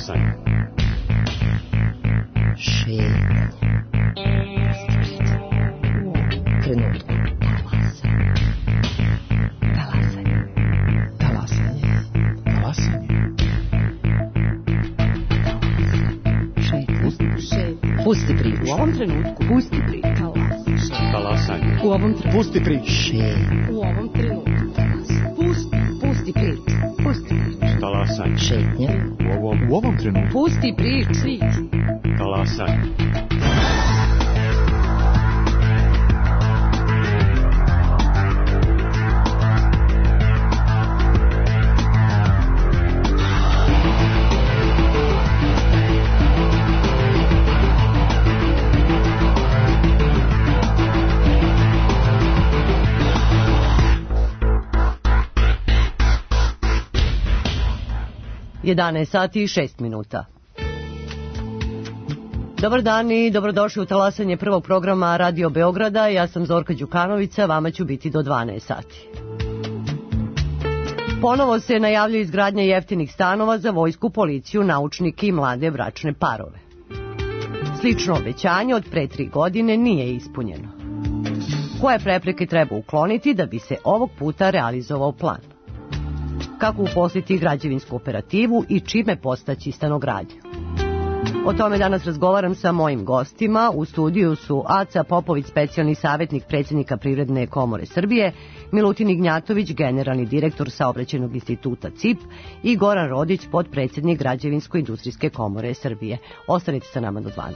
Talasanje. Šetnje. Trenutku. Talasanje. Talasanje. Talasanje. Šetnje. Pusti priču. U ovom trenutku. Pusti priču. Talasanje. U ovom trenutku. Pusti priču. Šetnje. U ovom trenutku. Pusti priču. Pusti priču. Talasanje. Šetnje. U ovom trenutku. Pusti priču. Talasanje. sati i 6 minuta. Dobar dan i dobrodošli u talasanje prvog programa Radio Beograda. Ja sam Zorka Đukanovića, vama ću biti do 12 sati. Ponovo se najavljuje izgradnja jeftinih stanova za vojsku, policiju, naučnike i mlade bračne parove. Slično obećanje od pre 3 godine nije ispunjeno. Koje prepreke treba ukloniti da bi se ovog puta realizovao plan? Kako uposliti građevinsku operativu i čime postaći stanogradnju? O tome danas razgovaram sa mojim gostima. U studiju su Aca Popović, specijalni savjetnik predsjednika Privredne komore Srbije, Milutin Ignjatović, generalni direktor Saobraćajnog instituta CIP i Goran Rodić, potpredsjednik Građevinsko-industrijske komore Srbije. Ostanite sa nama do 12.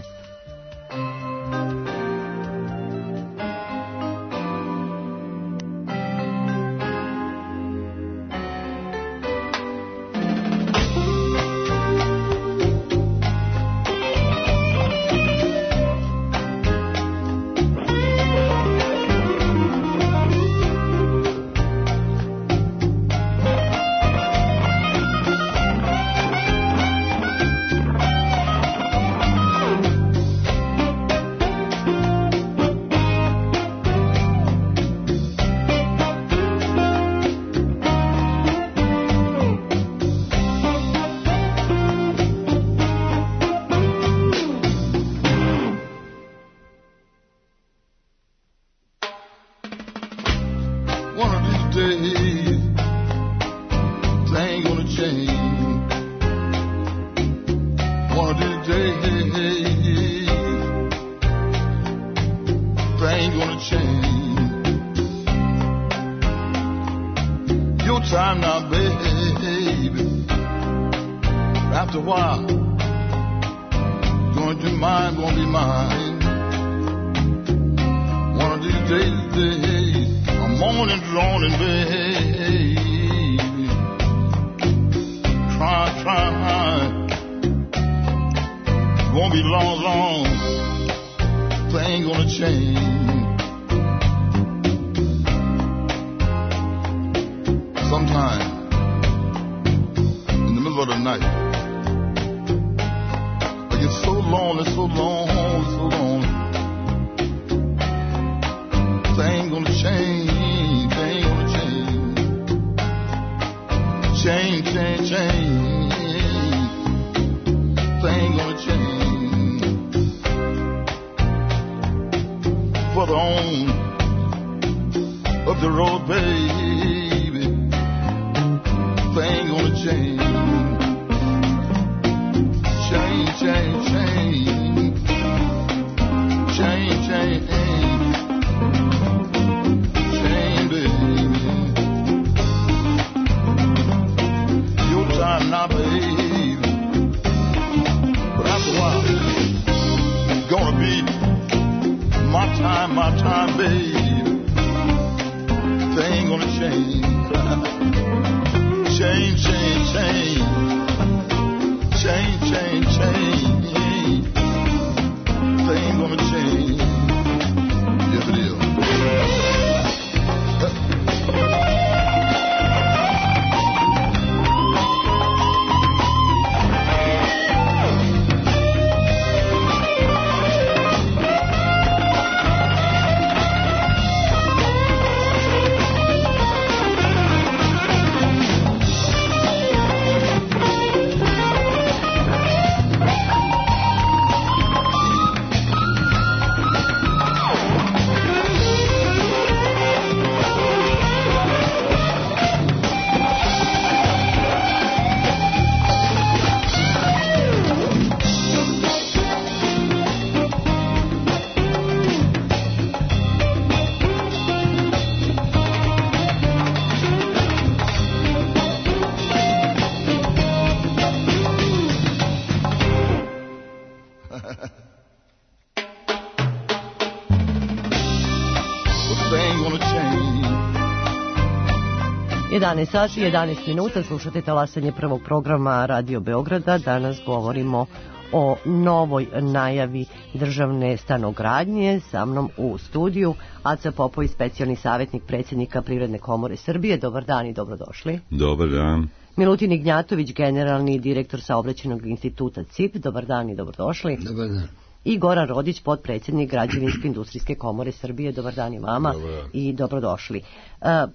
11 sati, 11 minuta, slušate talasanje prvog programa Radio Beograda. Danas govorimo o novoj najavi državne stanogradnje. Sa mnom u studiju Aca Popović, specijalni savjetnik predsjednika Privredne komore Srbije. Dobar dan i dobrodošli. Dobar dan. Milutin Ignjatović, generalni direktor Saobraćajnog instituta CIP. Dobar dan i dobrodošli. Dobar dan. I Goran Rodić, potpredsjednik Građevinsko-industrijske komore Srbije. Dobar dan i vama i dobrodošli.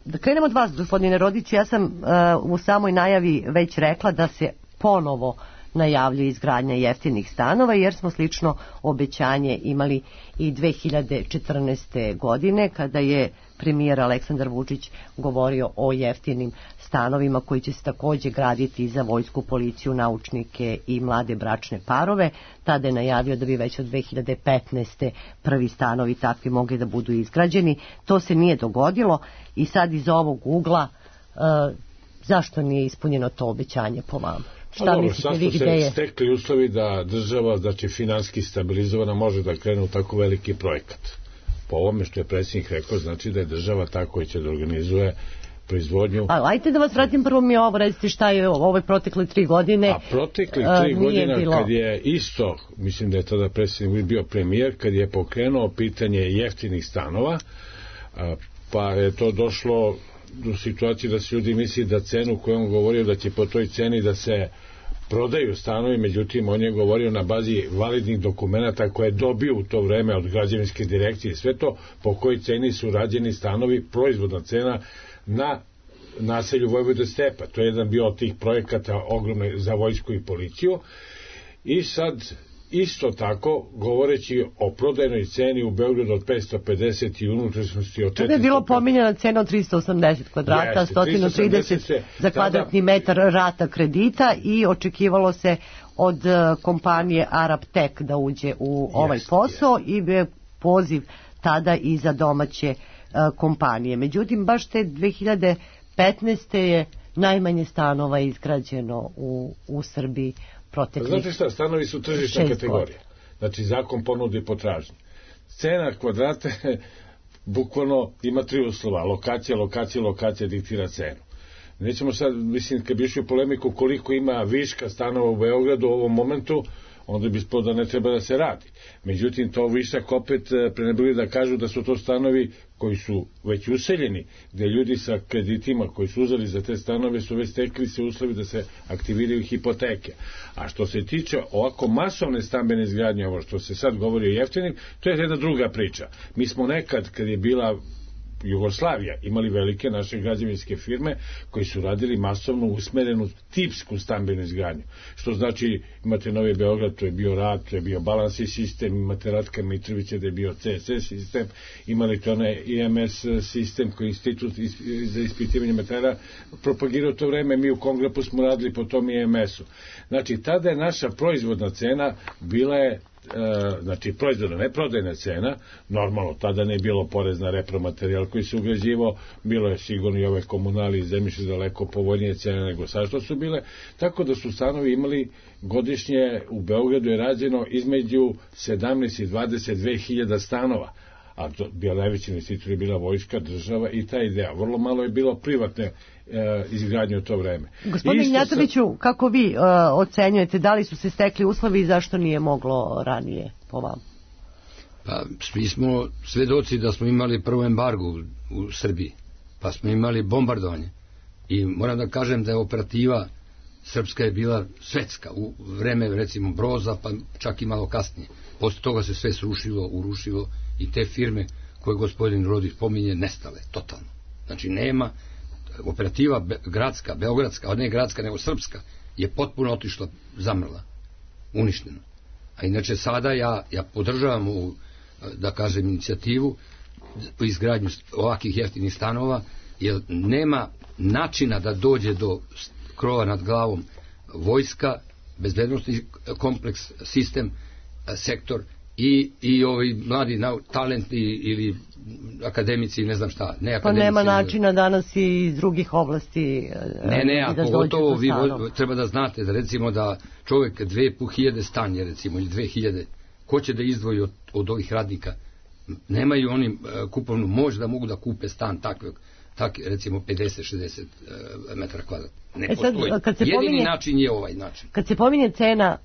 Da krenemo od vas, gospodine Rodić. Ja sam u samoj najavi već rekla da se ponovo najavljuje izgradnja jeftinih stanova, jer smo slično obećanje imali i 2014. godine, kada je premijer Aleksandar Vučić govorio o jeftinim stanovima koji će se također graditi za vojsku, policiju, naučnike i mlade bračne parove. Tada je najavio da bi već od 2015. prvi stanovi takvi mogli da budu izgrađeni. To se nije dogodilo i sad iz ovog ugla zašto nije ispunjeno to obećanje po vama? Šta mislite vi, gde je? Sad su se stekli uslovi da država, znači finanski stabilizovana, može da krene u tako veliki projekat. Po ovome što je predsjednik rekao, znači da je država tako koja će da organizuje proizvodnju. Ajte da vas vratim, prvo mi ovo, recite šta je ove protekle 3 godine. A protekle 3 godina kad je isto, mislim da je tada predsjednik bio premijer, kad je pokrenuo pitanje jeftinih stanova, pa je to došlo do situacije da se ljudi misli da cenu koju on govorio da će po toj ceni da se prodaju stanovi, međutim on je govorio na bazi validnih dokumenata koje je dobio u to vreme od građevinske direkcije, sve to po kojoj ceni su rađeni stanovi, proizvodna cena na naselju Vojvode Stepa. To je jedan bio od tih projekata ogromne za vojsku i policiju. I sad isto tako, govoreći o prodajnoj ceni u Beogradu od 550 i unutrašnjosti od 400... Tada je bilo pominjena cena od 380 kvadrata, 130 za kvadratni metar rata kredita i očekivalo se od kompanije Arab Tech da uđe u ovaj posao i poziv tada i za domaće kompanije. Međutim, baš te 2015. je najmanje stanova izgrađeno u Srbiji. Znate šta, stanovi su tržišna kategorija. Znači zakon ponude i potražnje. Cena kvadrata bukvalno ima 3 uslova. Lokacija diktira cenu. Nećemo sad, mislim, kad bi išli u polemiku koliko ima viška stanova u Beogradu u ovom momentu, onda bi ispod da ne treba da se radi. Međutim, to višak opet prenebili da kažu da su to stanovi koji su već useljeni, gde ljudi sa kreditima koji su uzeli za te stanove su već stekli se uslovi da se aktiviraju hipoteke. A što se tiče ovako masovne stambene izgradnje, ovo što se sad govori o jeftinim, to je jedna druga priča. Mi smo nekad, kad je bila Jugoslavija, imali velike naše građevinske firme koji su radili masovno usmerenu tipsku stambenu izgradnju. Što znači, imate Novi Beograd, to je bio RAD, to je bio Balansi sistem, imate Ratka Mitrovića da je bio CSS sistem, imali to onaj IMS sistem koji je institut za ispitivanje materijala propagirao to vreme, mi u Kongrepu smo radili po tom IMS-u. Znači, tada je naša proizvodna cena bila je znači proizvodna, ne prodajna cena, normalno tada ne je bilo porez na repromaterijal koji se ugrađivao, bilo je sigurno i ove komunali i zemljište daleko povoljnije cene nego sad što su bile, tako da su stanovi imali godišnje, u Beogradu je rađeno između 17 i 22 hiljada stanova, a bio najveći investitor je bila vojska, država i ta ideja. Vrlo malo je bilo privatne izgradnje u to vreme. Gospodine Ignjatoviću, kako vi ocenjujete, da li su se stekli uslovi i zašto nije moglo ranije po vama? Pa, mi smo svedoci da smo imali prvo embargo u Srbiji, pa smo imali bombardovanje i moram da kažem da je operativa srpska je bila svetska u vreme recimo Broza, pa čak i malo kasnije. Posle toga se sve srušilo, urušilo i te firme koje gospodin Rodić pominje nestale, totalno. Znači nema, operativa gradska, beogradska, a ne gradska nego srpska, je potpuno otišla, zamrla, uništena. A inače sada ja podržavam ovu, da kažem, inicijativu po izgradnju ovakvih jeftinih stanova, jer nema načina da dođe do krova nad glavom vojska, bezbednostni kompleks, sistem, sektor i ovi mladi talenti ili akademici, ne znam šta. Pa nema načina danas i iz drugih oblasti. Ne, a pogotovo vi treba da znate da recimo da čovjek 2500 stan je recimo ili 2000, ko će da izdvoji od ovih radnika? Nemaju oni kupovnu moć da mogu da kupe stan takvog tak recimo 50-60 metara kvadratnih. Ne sad, postoji. Jedini način je ovaj način. Kad se pominje cena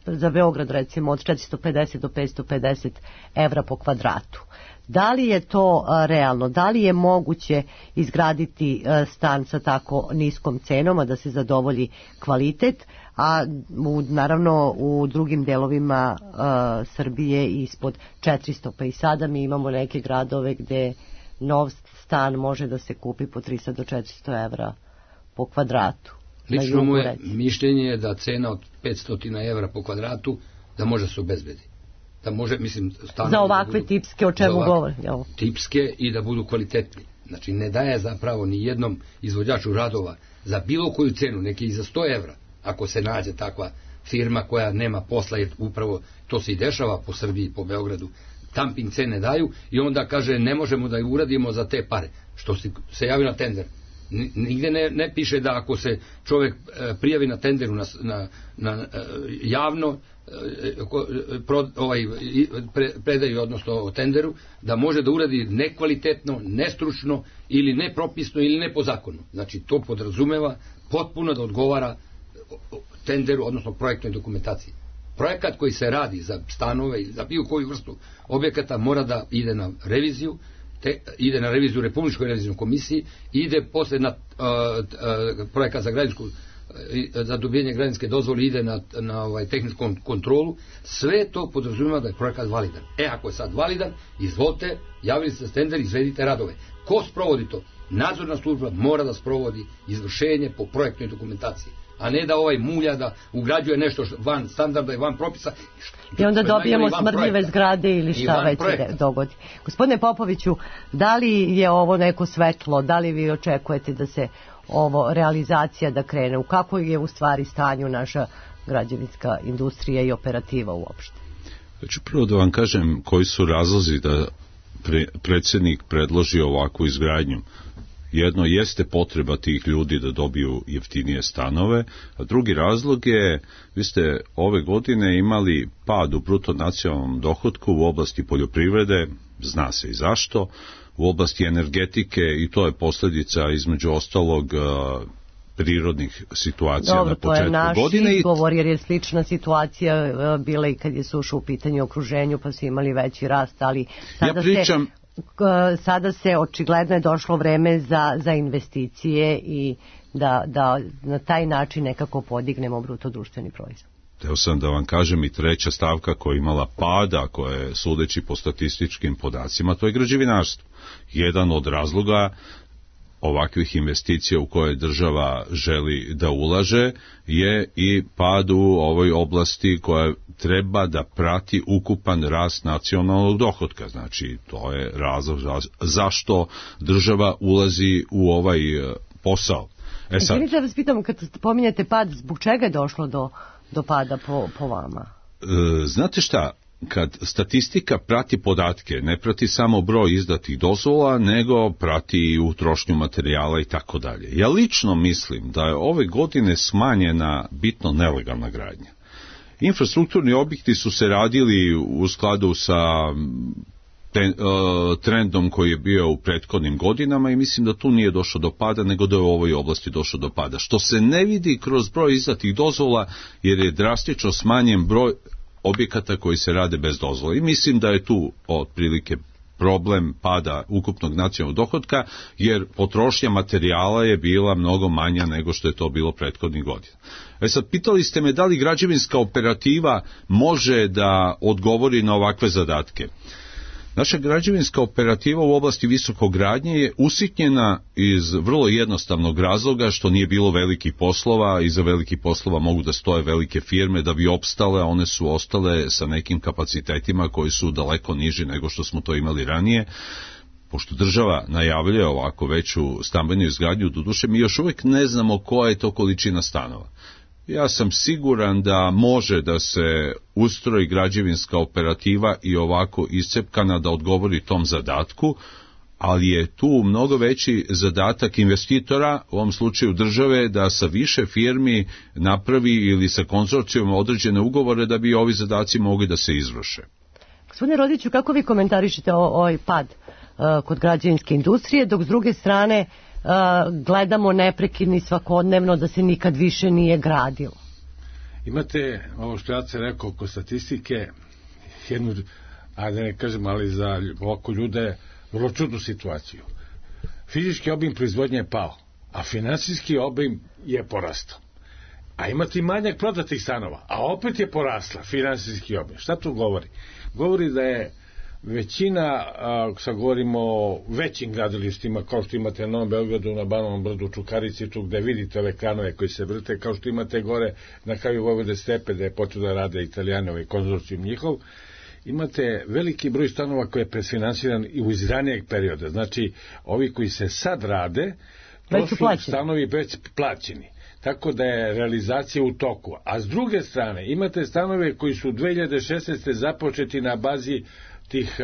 za Beograd recimo od 450 do 550 evra po kvadratu, da li je to realno? Da li je moguće izgraditi stan sa tako niskom cenom, a da se zadovolji kvalitet, a naravno u drugim delovima Srbije ispod 400, pa i sada mi imamo neke gradove gde nov stan može da se kupi po 300 do 400 evra po kvadratu. Lično moje mišljenje je da cena od 500 evra po kvadratu da može se obezbedi. Da može, mislim, za ovakve tipske, o čemu govori? Tipske i da budu kvalitetni. Znači, ne daje zapravo ni jednom izvođaču radova za bilo koju cenu, neki i za 100 evra, ako se nađe takva firma koja nema posla, jer upravo to se i dešava po Srbiji, po Beogradu, dumping cene daju i onda kaže ne možemo da ju uradimo za te pare, što se javi na tender. Nigde ne piše da ako se čovjek prijavi na tenderu na javno predaju, odnosno o tenderu, da može da uradi nekvalitetno, nestručno ili nepropisno ili ne po zakonu. Znači to podrazumeva potpuno da odgovara tenderu, odnosno projektnoj dokumentaciji. Projekat koji se radi za stanove ili za bilo koju vrstu objekata mora da ide na reviziju, ide na reviziju Republičkoj revizijnoj komisiji, ide posle na projekat za građansku, za dobijenje građanske dozvole, ide na tehničku kontrolu. Sve to podrazumeva da je projekat validan. Ako je sad validan, izvolite, javili se tender, izvedite radove. Ko sprovodi to? Nadzorna služba mora da sprovodi izvršenje po projektnoj dokumentaciji, a ne da mulja da ugrađuje nešto van standarda i van propisa. I onda dobijemo smrdljive zgrade ili šta već se dogodi. Gospodine Popoviću, da li je ovo neko svetlo, da li vi očekujete da se ovo realizacija da krene? U kako je u stvari stanju naša građevinska industrija i operativa uopšte? Hoću prvo da vam kažem koji su razlozi da predsjednik predloži ovakvu izgradnju. Jedno jeste potreba tih ljudi da dobiju jeftinije stanove, a drugi razlog je, vi ste ove godine imali pad u bruto nacionalnom dohotku u oblasti poljoprivrede, zna se i zašto, u oblasti energetike, i to je posljedica između ostalog prirodnih situacija na početku godine. To je naš izgovor, jer je slična situacija bila i kad je suša u pitanju okruženju, pa su imali veći rast, ali sada se očigledno je došlo vreme za investicije i da na taj način nekako podignemo bruto društveni proizvod. Teo sam da vam kažem i treća stavka koja je imala pada, koja je sudeći po statističkim podacima, to je građevinarstvo. Jedan od razloga ovakvih investicija u koje država želi da ulaže je i pad u ovoj oblasti koja treba da prati ukupan rast nacionalnog dohotka. Znači, to je razlog zašto država ulazi u ovaj posao. Izvinite da vas pitam, kad pominjete pad, zbog čega je došlo do pada po vama? Znate šta? Kad statistika prati podatke, ne prati samo broj izdatih dozvola, nego prati i utrošnju materijala i tako dalje. Ja lično mislim da je ove godine smanjena bitno nelegalna gradnja. Infrastrukturni objekti su se radili u skladu sa trendom koji je bio u prethodnim godinama i mislim da tu nije došlo do pada, nego da je u ovoj oblasti došlo do pada. Što se ne vidi kroz broj izdatih dozvola, jer je drastično smanjen broj objekata koji se rade bez dozvole. I mislim da je tu otprilike problem pada ukupnog nacionalnog dohotka, jer potrošnja materijala je bila mnogo manja nego što je to bilo prethodnih godina. Sad, pitali ste me da li građevinska operativa može da odgovori na ovakve zadatke. Naša građevinska operativa u oblasti visokogradnje je usitnjena iz vrlo jednostavnog razloga što nije bilo velikih poslova. Iza velikih poslova mogu da stoje velike firme da bi opstale, a one su ostale sa nekim kapacitetima koji su daleko niži nego što smo to imali ranije. Pošto država najavljuje ovako veću stambenu izgradnju, doduše mi još uvijek ne znamo koja je to količina stanova. Ja sam siguran da može da se ustroji građevinska operativa i ovako iscepkana da odgovori tom zadatku, ali je tu mnogo veći zadatak investitora, u ovom slučaju države, da sa više firmi napravi ili sa konzorcijom određene ugovore da bi ovi zadaci mogli da se izvrše. Gospodine Rodiću, kako vi komentarišete ovaj pad kod građevinske industrije, dok s druge strane gledamo neprekidno i svakodnevno da se nikad više nije gradilo. Imate, ovo što ja se rekao oko statistike, jednu, ajde ne kažem, ali za oko ljude vrlo čudnu situaciju. Fizički obim proizvodnje je pao, a finansijski obim je porastao. A imate i manjak prodatih stanova, a opet je porasla finansijski obim. Šta to govori? Govori da je većina, sad govorimo o većim gradilištima, kao što imate na Novom Beogradu, na Banovom Brdu, Čukarici, tu gde vidite ove kranove koji se vrte, kao što imate gore na kraju Vojvode Stepe, da je počeo da rade Italijani, ovaj konzorcijum njihov, imate veliki broj stanova koji je presfinansiran i iz ranijeg perioda. Znači, ovi koji se sad rade, to su stanovi već plaćeni. Tako da je realizacija u toku. A s druge strane, imate stanove koji su 2016. započeti na bazi tih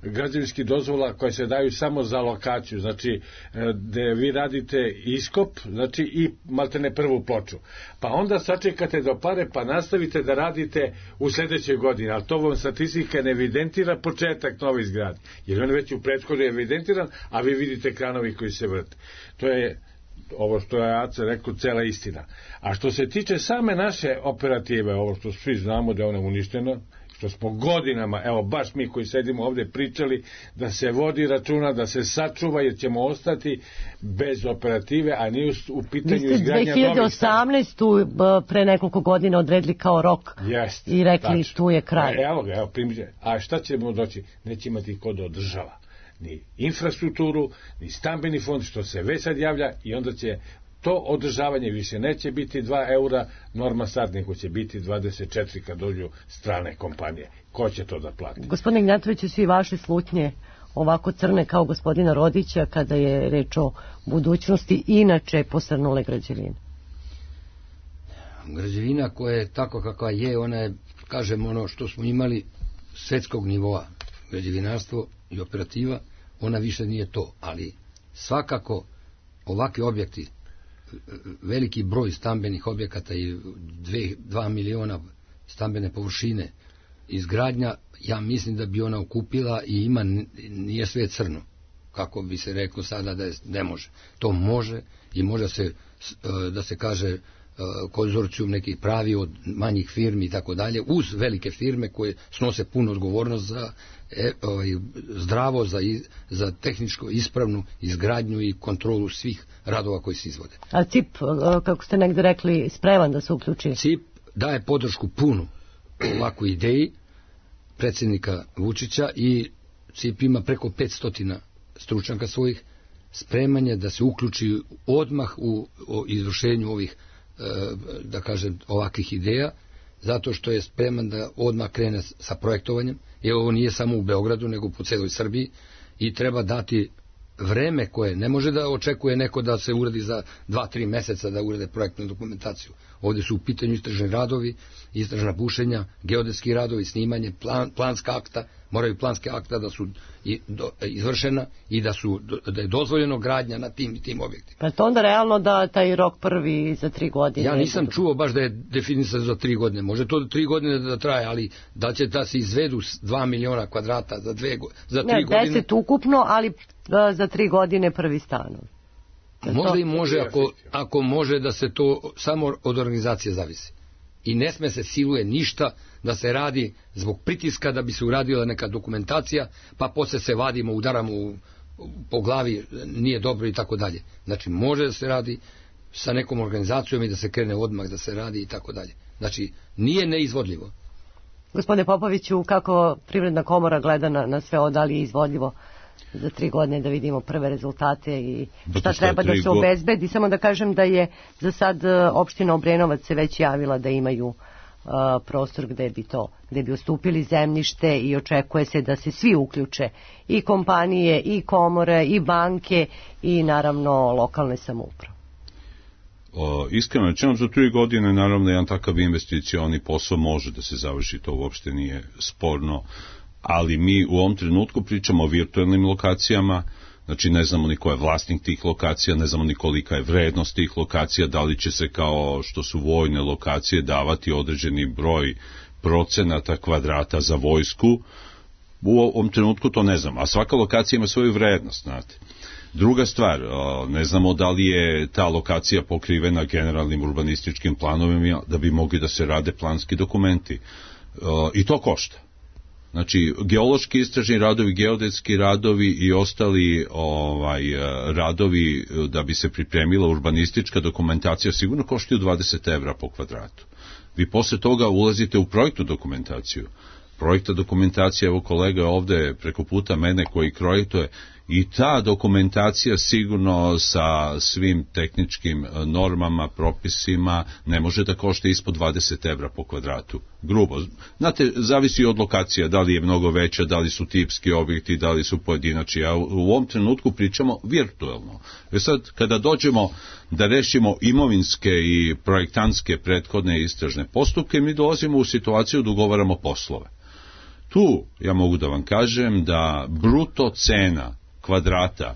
građevinskih dozvola koje se daju samo za lokaciju, znači gde vi radite iskop, znači i maltene prvu ploču. Pa onda sačekate do pare, pa nastavite da radite u sledećoj godini, ali to vam statistika ne evidentira početak nove izgradnje, jer on je već u prethodnoj evidentiran, a vi vidite kranovi koji se vrte. To je ovo što je Aca rekao, cela istina. A što se tiče same naše operative, ovo što svi znamo da je ona uništena, što smo godinama, evo baš mi koji sedimo ovde pričali da se vodi računa, da se sačuva, jer ćemo ostati bez operative, a nije u pitanju izgradnja novih stanova. 2018. pre nekoliko godina odredili kao rok i rekli tu je kraj. Evo primjer. A šta ćemo doći? Neće imati ko da održava ni infrastrukturu, ni stambeni fond, što se već sad javlja, i onda će to održavanje više neće biti 2 eura norma sad, nego će biti 24 kad dođu strane kompanije. Ko će to da plati? Gospodine Ignjatoviću, svi vaše slutnje ovako crne kao gospodina Rodića kada je reč o budućnosti inače posrnule građevine? Građevina koja je tako kakva je, ona je, kažem, ono što smo imali svetskog nivoa, građevinarstvo i operativa, ona više nije to, ali svakako ovakvi objekti, veliki broj stambenih objekata i 2 miliona stambene površine, izgradnja, ja mislim da bi ona okupila i nije sve crno, kako bi se reklo sada da ne može. To može i može se, da se kaže, konzorcijum nekih pravi od manjih firmi i tako dalje, uz velike firme koje snose puno odgovornost za zdravo, za tehničko ispravnu izgradnju i kontrolu svih radova koji se izvode. A CIP, kako ste negde rekli, spreman da se uključi? CIP daje podršku punu ovakvu ideji predsjednika Vučića i CIP ima preko 500 stručnjaka svojih, spremanje da se uključi odmah u izvršenju ovih, da kažem, ovakvih ideja, zato što je spreman da odmah krene sa projektovanjem, jer ovo nije samo u Beogradu, nego po celoj Srbiji, i treba dati vreme koje ne može da očekuje neko da se uradi za 2-3 meseca da urade projektnu dokumentaciju. Ovdje su u pitanju istražni radovi, istražna bušenja, geodetski radovi, snimanje, planska akta, moraju planske akta da su izvršena i da je dozvoljeno gradnja na tim i tim objektima. Pa to onda realno da taj rok prvi za 3 godine? Ja nisam čuo baš da je definisan za 3 godine. Može to 3 godine da traje, ali da će da se izvedu 2 miliona kvadrata za 3 godine? 10 ukupno, ali za 3 godine prvi stanov. Možda i može ako može da se to samo od organizacije zavisi. I ne sme se siluje ništa da se radi zbog pritiska da bi se uradila neka dokumentacija, pa posle se vadimo, udaramo po glavi, nije dobro i tako dalje. Znači može da se radi sa nekom organizacijom i da se krene odmah da se radi i tako dalje. Znači nije neizvodljivo. Gospodine Popoviću, kako Privredna komora gleda na sve ovo, da li je izvodljivo za 3 godine, da vidimo prve rezultate i šta treba da se obezbedi? Samo da kažem da je za sad opština Obrenovac se već javila da imaju prostor gde bi ustupili zemljište i očekuje se da se svi uključe, i kompanije, i komore, i banke, i naravno lokalne samouprave. Iskreno rečeno, za 3 godine naravno jedan takav investicioni posao može da se završi, to uopšte nije sporno, ali mi u ovom trenutku pričamo o virtualnim lokacijama, znači ne znamo ni ko je vlasnik tih lokacija, ne znamo ni kolika je vrednost tih lokacija, da li će se kao što su vojne lokacije davati određeni broj procenata kvadrata za vojsku, U ovom trenutku to ne znam, a svaka lokacija ima svoju vrednost, znate. Druga stvar, ne znamo da li je ta lokacija pokrivena generalnim urbanističkim planovima da bi mogli da se rade planski dokumenti. I to košta. Znači, geološki istražni radovi, geodetski radovi i ostali radovi da bi se pripremila urbanistička dokumentacija sigurno koštaju 20 evra po kvadratu. Vi posle toga ulazite u projektnu dokumentaciju. Projekta dokumentacija, evo kolega ovde preko puta mene koji projektuje, i ta dokumentacija sigurno sa svim tehničkim normama, propisima ne može da košta ispod 20 evra po kvadratu. Grubo. Znate, zavisi od lokacija, da li je mnogo veća, da li su tipski objekti, da li su pojedinačni. A u ovom trenutku pričamo virtuelno. Sad, kada dođemo da rešimo imovinske i projektantske prethodne istražne postupke, mi dolazimo u situaciju da ugovaramo poslove. Tu ja mogu da vam kažem da bruto cena kvadrata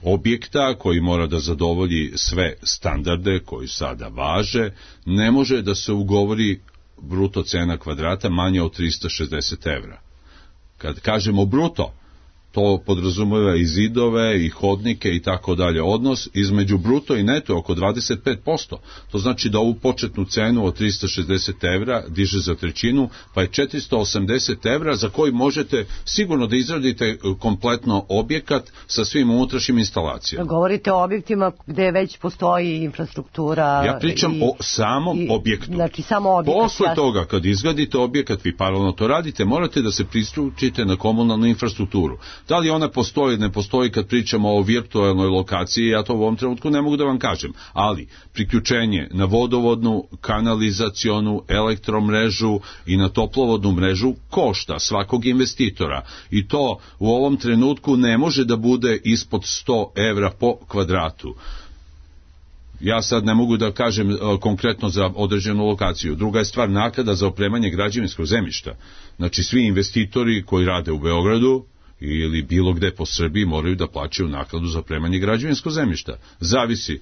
objekta koji mora da zadovolji sve standarde koji sada važe, ne može da se ugovori bruto cena kvadrata manje od 360 evra. Kad kažemo bruto, to podrazumeva i zidove, i hodnike i tako dalje. Odnos između bruto i neto je oko 25%. To znači da ovu početnu cenu od 360 evra diže za trećinu, pa je 480 evra za koji možete sigurno da izradite kompletno objekat sa svim unutrašnjim instalacijama. Govorite o objektima gde već postoji infrastruktura. Ja pričam o samom objektu. Znači samo objekat. Posle toga, kad izgradite objekat, vi paralelno to radite, morate da se priključite na komunalnu infrastrukturu. Da li ona postoji ili ne postoji kad pričamo o virtualnoj lokaciji, ja to u ovom trenutku ne mogu da vam kažem, ali priključenje na vodovodnu, kanalizacionu, elektromrežu i na toplovodnu mrežu košta svakog investitora i to u ovom trenutku ne može da bude ispod 100 evra po kvadratu. Ja sad ne mogu da kažem konkretno za određenu lokaciju. Druga je stvar naknada za opremanje građevinskog zemljišta. Znači svi investitori koji rade u Beogradu ili bilo gde po Srbiji moraju da plaćaju naknadu za opremanje građevinskog zemljišta. Zavisi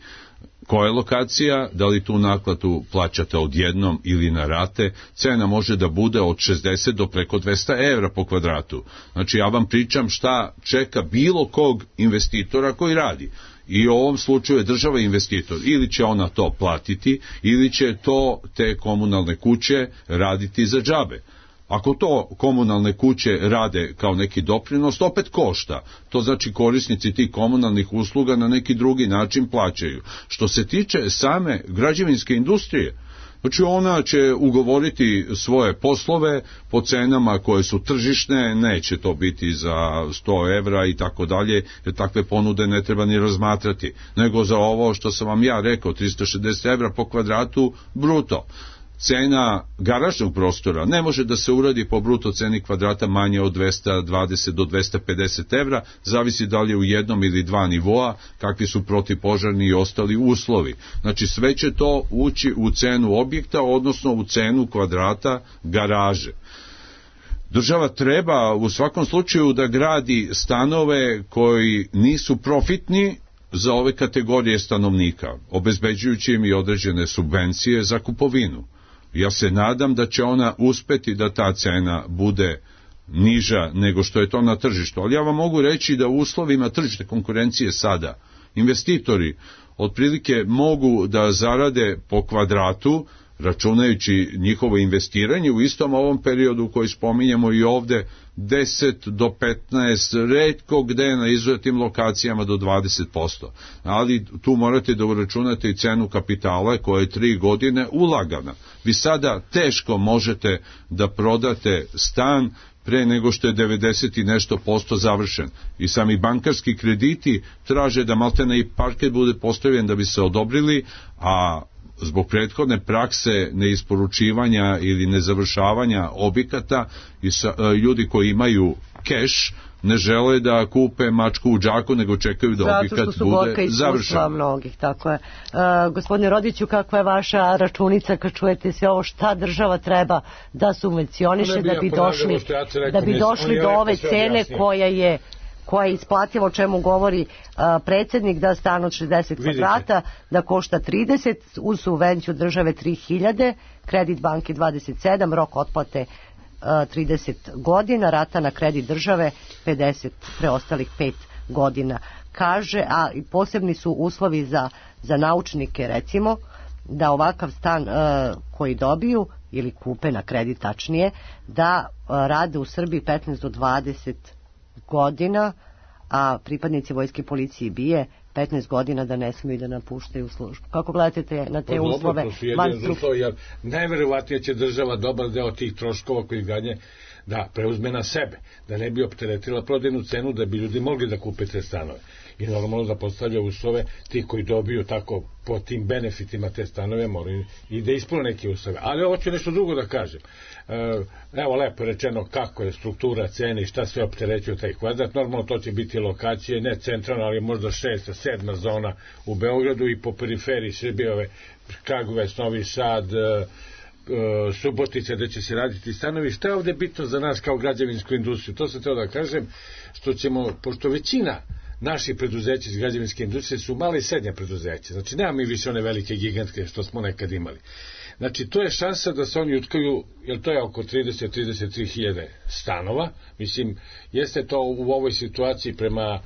koja je lokacija, da li tu nakladu plaćate odjednom ili na rate, cena može da bude od 60 do preko 200 evra po kvadratu. Znači ja vam pričam šta čeka bilo kog investitora koji radi. I u ovom slučaju je država investitor. Ili će ona to platiti, ili će to te komunalne kuće raditi za džabe. Ako to komunalne kuće rade kao neki doprinos, opet košta. To znači korisnici tih komunalnih usluga na neki drugi način plaćaju. Što se tiče same građevinske industrije, znači ona će ugovoriti svoje poslove po cenama koje su tržišne, neće to biti za 100 evra i tako dalje, jer takve ponude ne treba ni razmatrati, nego za ovo što sam vam ja rekao, 360 evra po kvadratu bruto. Cena garažnog prostora ne može da se uradi po bruto ceni kvadrata manje od 220 do 250 evra, zavisi da li je u jednom ili dva nivoa, kakvi su protivpožarni i ostali uslovi. Znači sve će to ući u cenu objekta, odnosno u cenu kvadrata garaže. Država treba u svakom slučaju da gradi stanove koji nisu profitni za ove kategorije stanovnika, obezbeđujući im i određene subvencije za kupovinu. Ja se nadam da će ona uspeti da ta cena bude niža nego što je to na tržištu. Ali ja vam mogu reći da u uslovima tržišne konkurencije sada investitori otprilike mogu da zarade po kvadratu, računajući njihovo investiranje u istom ovom periodu koji spominjemo i ovde, 10 do 15, retko gde na izuzetim lokacijama do 20%. Ali tu morate da uračunate i cenu kapitala koja je 3 godine ulagana. Vi sada teško možete da prodate stan pre nego što je 90 i nešto posto završen. I sami bankarski krediti traže da maltene i parket bude postavljen da bi se odobrili, a zbog prethodne prakse neisporučivanja ili nezavršavanja objekata i ljudi koji imaju keš ne žele da kupe mačku u džaku, nego čekaju da objekat bude završen. Mnogih, tako je. Gospodine Rodiću, kakva je vaša računica kad čujete sve ovo, šta država treba da subvencioniše da bi došli do ove cene koja je isplativa, o čemu govori predsjednik, da stan od 60 kvadrata da košta 30, uz subvenciju države 3000, kredit banke 27, rok otplate 30 godina, rata na kredit države 50 preostalih 5 godina. Kaže, a i posebni su uslovi za naučnike, recimo, da ovakav stan koji dobiju ili kupe na kredit tačnije, da rade u Srbiji 15 do 20 godina, a pripadnici vojske, policije i BIA 15 godina da ne smiju da napuštaju službu. Kako gledate na te uslove? Najverovatnije će država dobar deo tih troškova koji ganje da preuzme na sebe, da ne bi opteretila prodajnu cenu, da bi ljudi mogli da kupe te stanove. I normalno da postavlja uslove, ti koji dobiju tako po tim benefitima te stanove moraju i da ispune neke uslove. Ali ovo ću nešto drugo da kažem. Evo lepo rečeno kako je struktura cene i šta sve opterećuje taj kvadrat. Normalno to će biti lokacije, ne centralna, ali možda 6. 7. zona u Beogradu i po periferiji Srbije, Kragujevac, Novi Sad, Subotica, da će se raditi stanovi. Šta je ovde bitno za nas kao građevinsku industriju? To sam teo da kažem, što ćemo, pošto većina naših preduzeća iz građevinske industrije su male i srednje preduzeća, znači nema mi više one velike gigantske što smo nekad imali. Znači to je šansa da se oni utkaju, jer to je oko 30-33 hiljade stanova, mislim, jeste to u ovoj situaciji prema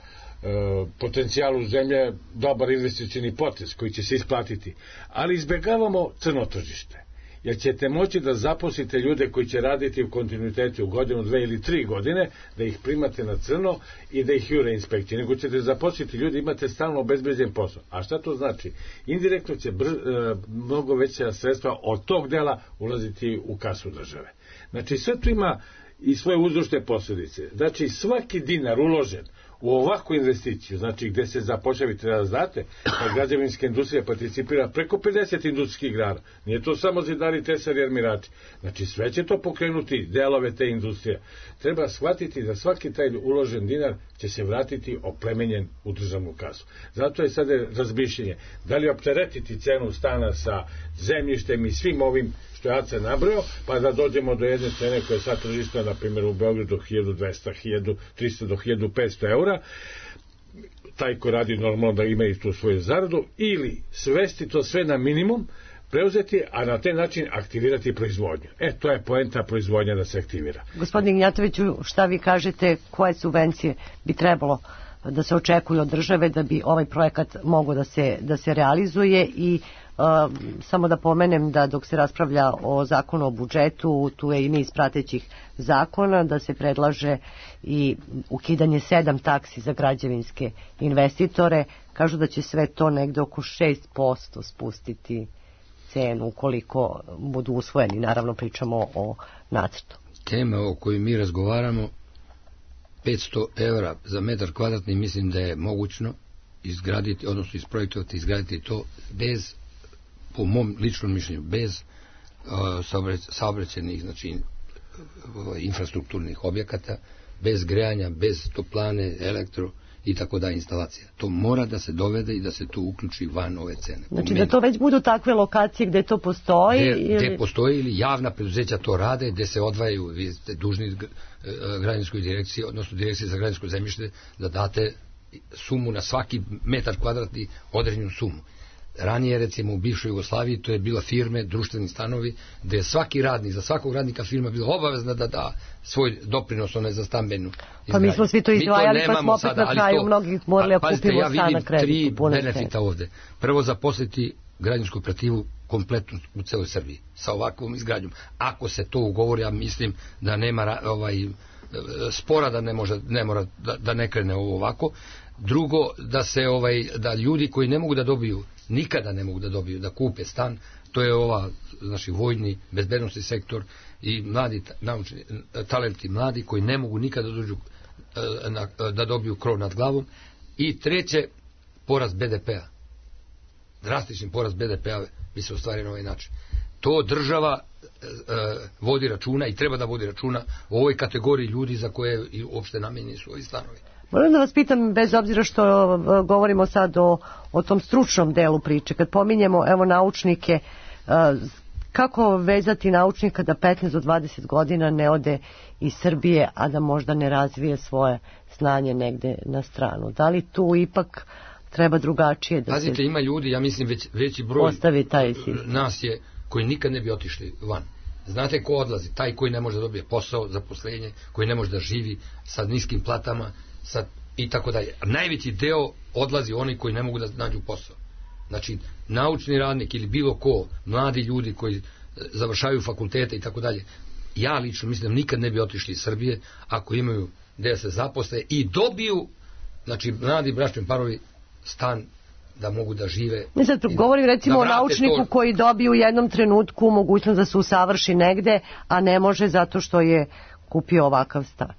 potencijalu zemlje dobar investicioni potez koji će se isplatiti, ali izbegavamo crno tržište, jer ćete moći da zaposlite ljude koji će raditi u kontinuitetu u godinu, 2 ili 3 godine, da ih primate na crno i da ih jure inspekcije, nego ćete zaposliti ljude, imate stalno obezbeđen posao. A šta to znači? Indirektno će mnogo veća sredstva od tog dela ulaziti u kasu države. Znači sve to ima i svoje uzročne posljedice. Znači svaki dinar uložen u ovakvu investiciju, znači gde se zapošljavi, treba da znate, da građevinska industrija participira preko 50 industrijskih grana. Nije to samo zidari, tesari, armirači. Znači sve će to pokrenuti delove te industrije. Treba shvatiti da svaki taj uložen dinar će se vratiti oplemenjen u državnu kasu. Zato je sada razmišljenje da li opteretiti cenu stana sa zemljištem i svim ovim što ja se nabrao, pa da dođemo do jedne cene koja je sad tržišna, na primjer u Beogradu 1200, 1300 do 1500 eura, taj ko radi normalno da ima i tu svoju zaradu, ili svesti to sve na minimum, preuzeti, a na taj način aktivirati proizvodnju. To je poenta proizvodnja da se aktivira. Gospodin Gnjatoviću, šta vi kažete, koje subvencije bi trebalo da se očekuju od države da bi ovaj projekat mogao da se realizuje i samo da pomenem da dok se raspravlja o zakonu o budžetu, tu je i niz pratećih zakona, da se predlaže i ukidanje 7 taksi za građevinske investitore. Kažu da će sve to negde oko 6% spustiti cenu ukoliko budu usvojeni. Naravno pričamo o nacrtu. Tema o kojoj mi razgovaramo, 500 evra za metar kvadratni, mislim da je mogućno izgraditi, odnosno isprojektovati, izgraditi to bez, po mom ličnom mišljenju, bez saobraćajnih, znači infrastrukturnih objekata, bez grejanja, bez toplane, elektro i tako da instalacija. To mora da se dovede i da se to uključi van ove cene. Znači da to već budu takve lokacije gde to postoji? Gde postoji ili javna preduzeća to rade, gde se odvajaju, vi ste dužni građevinskoj direkciji, odnosno direkciji za građevinsko zemljište, da date sumu na svaki metar kvadratni određenu sumu. Ranije, recimo, u bivšoj Jugoslaviji, to je bila firme, društveni stanovi, gde je svaki radnik, za svakog radnika firma bila obavezna da da svoj doprinos za stambenu izgradnju. Pa mi smo svi to izdvajali, pa smo opet na kraju mnogi morali da kupimo stan na kreditu. Ja vidim 3 benefita ovde. Prvo, zaposliti građansku operativu kompletnu u celoj Srbiji, sa ovakvom izgradnjom. Ako se to ugovori, ja mislim da nema spora da mora da ne krene ovo ovako. Drugo, da ljudi koji ne mogu da dobiju, nikada ne mogu da dobiju, da kupe stan, to je naši vojni, bezbednosni sektor i mladi naučni talenti, mladi koji ne mogu nikada da dobiju krov nad glavom. I treće, porast BDP-a. Drastični porast BDP-a bi se ostvario na ovaj način. To država vodi računa i treba da vodi računa o ovoj kategoriji ljudi za koje i uopšte namenjeni su ovi stanovi. Moram da vas pitam, bez obzira što govorimo sad o tom stručnom delu priče, kad pominjemo naučnike, kako vezati naučnika da 15 do 20 godina ne ode iz Srbije, a da možda ne razvije svoje znanje negde na stranu? Da li tu ipak treba drugačije da Pazite, ima ljudi, ja mislim veći broj nas je koji nikad ne bi otišli van. Znate ko odlazi? Taj koji ne može da dobije posao, zaposlenje, koji ne može da živi sa niskim platama, i tako dalje. Najveći deo odlazi oni koji ne mogu da nađu posao. Znači, naučni radnik ili bilo ko, mladi ljudi koji završavaju fakultete i tako dalje. Ja lično mislim da nikad ne bi otišli iz Srbije ako imaju gde se zaposle i dobiju, znači, mladi bračni parovi stan da mogu da žive. Sad, govorim recimo o naučniku koji dobije u jednom trenutku mogućnost da se usavrši negde, a ne može zato što je kupio ovakav stan.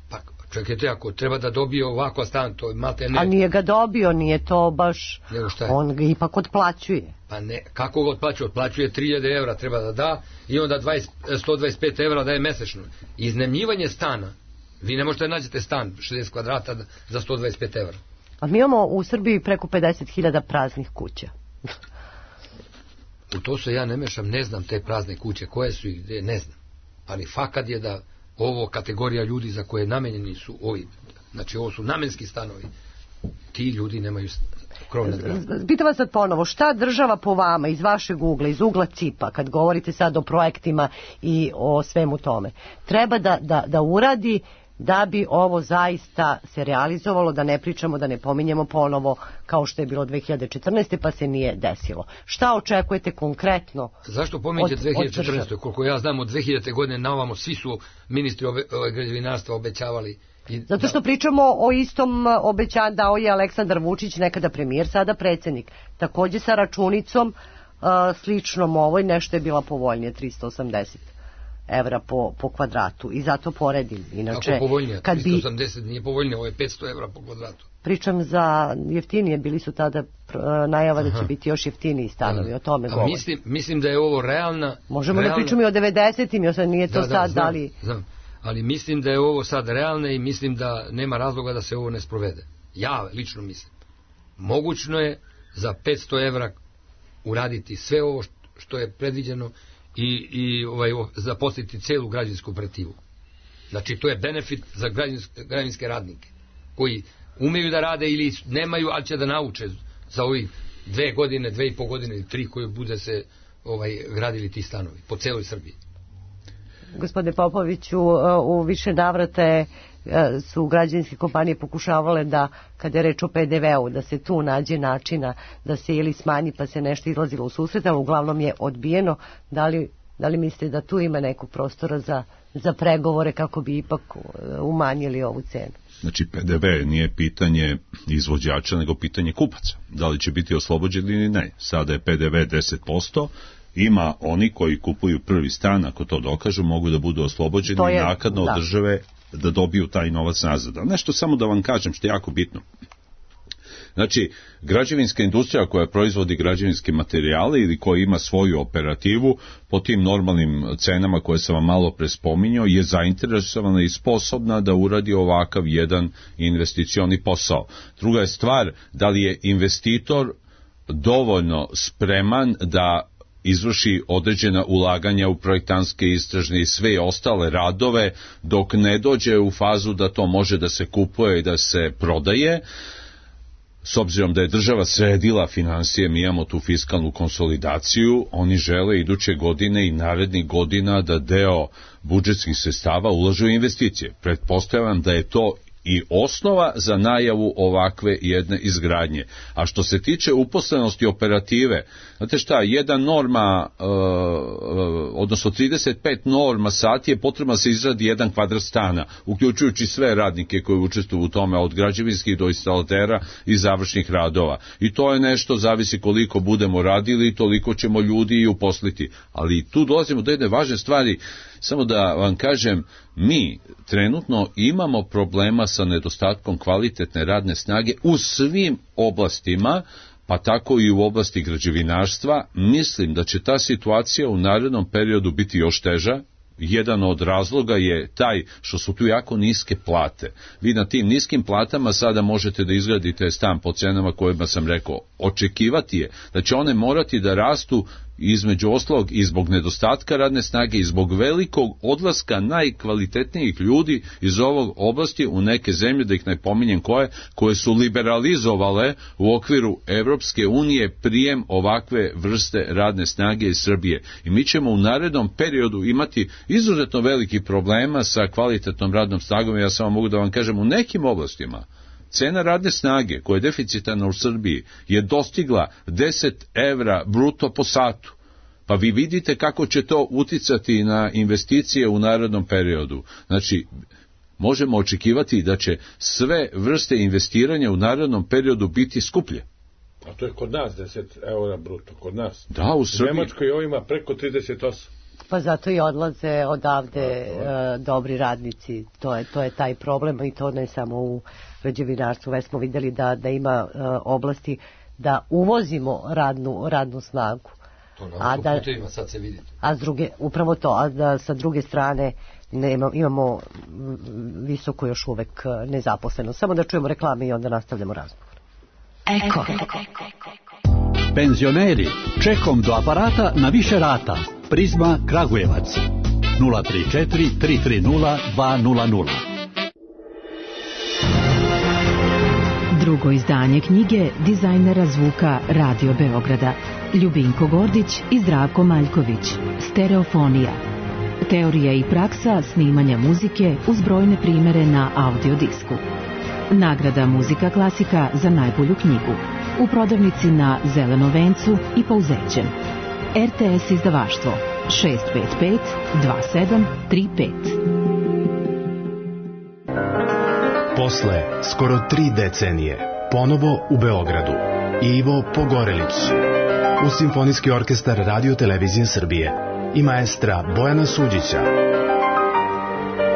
Pa, čekajte, ako treba da dobije ovakav stan, to imate ne... A nije ga dobio, nije to baš... On ga ipak otplaćuje. Pa ne, kako ga otplaćuje? Otplaćuje 3000 evra treba da da i onda 125 evra daje mesečno. Iznajmljivanje stana, vi ne možete nađete stan 60 kvadrata za 125 evra. A mi imamo u Srbiji preko 50.000 praznih kuća. U to se ja ne mešam, ne znam te prazne kuće, koje su i gde, ne znam. Ali fakat je da ovo kategorija ljudi za koje namenjeni su ovi, znači ovo su namenski stanovi, ti ljudi nemaju krov nad glavom. Pitam vas sad ponovo, šta država po vama, iz vašeg ugla, iz ugla CIP-a, kad govorite sad o projektima i o svemu tome, treba da uradi da bi ovo zaista se realizovalo, da ne pričamo, da ne pominjemo ponovo kao što je bilo 2014. pa se nije desilo. Šta očekujete konkretno? Zašto pominjete 2014. Koliko ja znam, od 2000. godine na ovamo svi su ministri građevinarstva obećavali. Zato što pričamo o istom obećanju, dao je Aleksandar Vučić, nekada premijer, sada predsjednik. Takođe sa računicom sličnom ovoj, nešto je bila povoljnije, 380 evra po kvadratu, i zato poredim. Inače, kako povoljnije? 380 nije povoljnije, ovo je 500 evra po kvadratu. Pričam za jeftinije, bili su tada najava da će biti još jeftiniji stanovi, o tome govorim. Mislim da je ovo realna... Možemo da pričamo i o 90-im, nije to sad dali... Znam, ali mislim da je ovo sad realno i mislim da nema razloga da se ovo ne sprovede. Ja lično mislim. Mogućno je za 500 evra uraditi sve ovo što je predviđeno i zaposliti celu građevinsku operativu. Znači, to je benefit za građevinske radnike koji umeju da rade ili nemaju, ali će da nauče za ovih 2 godine, 2,5 godine ili 3 koje bude se gradili ti stanovi po celoj Srbiji. Gospodine Popoviću, u više navrata su građevinske kompanije pokušavale da, kada je reč o PDV-u, da se tu nađe načina da se ili smanji pa se nešto izlazilo u susret, ali uglavnom je odbijeno. Da li mislite da tu ima nekog prostora za pregovore kako bi ipak umanjili ovu cenu? Znači, PDV nije pitanje izvođača, nego pitanje kupaca. Da li će biti oslobođeni ili ne. Sada je PDV 10%, ima oni koji kupuju prvi stan, ako to dokažu, mogu da budu oslobođeni i naknadno od države da dobiju taj novac nazad. Nešto samo da vam kažem što je jako bitno. Znači, građevinska industrija koja proizvodi građevinske materijale ili koja ima svoju operativu po tim normalnim cenama koje sam vam malo prespominjao je zainteresovana i sposobna da uradi ovakav jedan investicioni posao. Druga je stvar, da li je investitor dovoljno spreman da izvrši određena ulaganja u projektantske, istražne i sve ostale radove dok ne dođe u fazu da to može da se kupuje i da se prodaje. S obzirom da je država sredila financije, mi imamo tu fiskalnu konsolidaciju, oni žele iduće godine i narednih godina da deo budžetskih sredstava ulažu u investicije. Pretpostavljam da je to i osnova za najavu ovakve jedne izgradnje. A što se tiče uposlenosti operative, znate šta, jedan norma, odnosno 35 norma sati je potrebno da se izradi jedan kvadrat stana, uključujući sve radnike koji učestvuju u tome, od građevinskih do instalatera i završnih radova. I to je nešto, zavisi koliko budemo radili, toliko ćemo ljudi i uposliti. Ali tu dolazimo do jedne važne stvari. Samo da vam kažem, mi trenutno imamo problema sa nedostatkom kvalitetne radne snage u svim oblastima, pa tako i u oblasti građevinarstva. Mislim da će ta situacija u narednom periodu biti još teža. Jedan od razloga je taj što su tu jako niske plate. Vi na tim niskim platama sada možete da izgradite stan po cenama kojima sam rekao. Očekivati je da će one morati da rastu između ostalog i zbog nedostatka radne snage i zbog velikog odlaska najkvalitetnijih ljudi iz ovog oblasti u neke zemlje, da ih ne pominjem koje su liberalizovale u okviru Evropske unije prijem ovakve vrste radne snage iz Srbije. I mi ćemo u narednom periodu imati izuzetno veliki problema sa kvalitetnom radnom snagom. Ja samo mogu da vam kažem, u nekim oblastima cena radne snage koja je deficitarna u Srbiji je dostigla 10 evra bruto po satu. Pa vi vidite kako će to uticati na investicije u narednom periodu. Znači, možemo očekivati da će sve vrste investiranja u narednom periodu biti skuplje. A to je kod nas 10 eura bruto, kod nas. Da, u Srbiji. U Nemačkoj ovo ima preko 38. Pa zato i odlaze odavde dobri radnici, to je taj problem, i to ne samo u građevinarstvu. Već smo vidjeli da ima oblasti da uvozimo radnu snagu. To na autoputevima sad se vidi. A upravo to, a da sa druge strane imamo visoko još uvek nezaposleno. Samo da čujemo reklame i onda nastavljamo razgovor. Eko. Penzioneri, čekom do aparata na više rata. Prizma Kragujevac 034 330 200. Drugo izdanje knjige dizajnera zvuka Radio Beograda Ljubinko Gordić i Zdravko Maljković. Stereofonija. Teorija i praksa snimanja muzike uz brojne primere na audiodisku. Nagrada Muzika klasika za najbolju knjigu. U prodavnici na Zelenom vencu i Pouzećem. RTS izdavaštvo 655 2735. Posle skoro 3 decenije, ponovo u Beogradu, Ivo Pogorelić, uz Simfonijski orkestar Radio Televizije Srbije i maestra Bojana Suđića.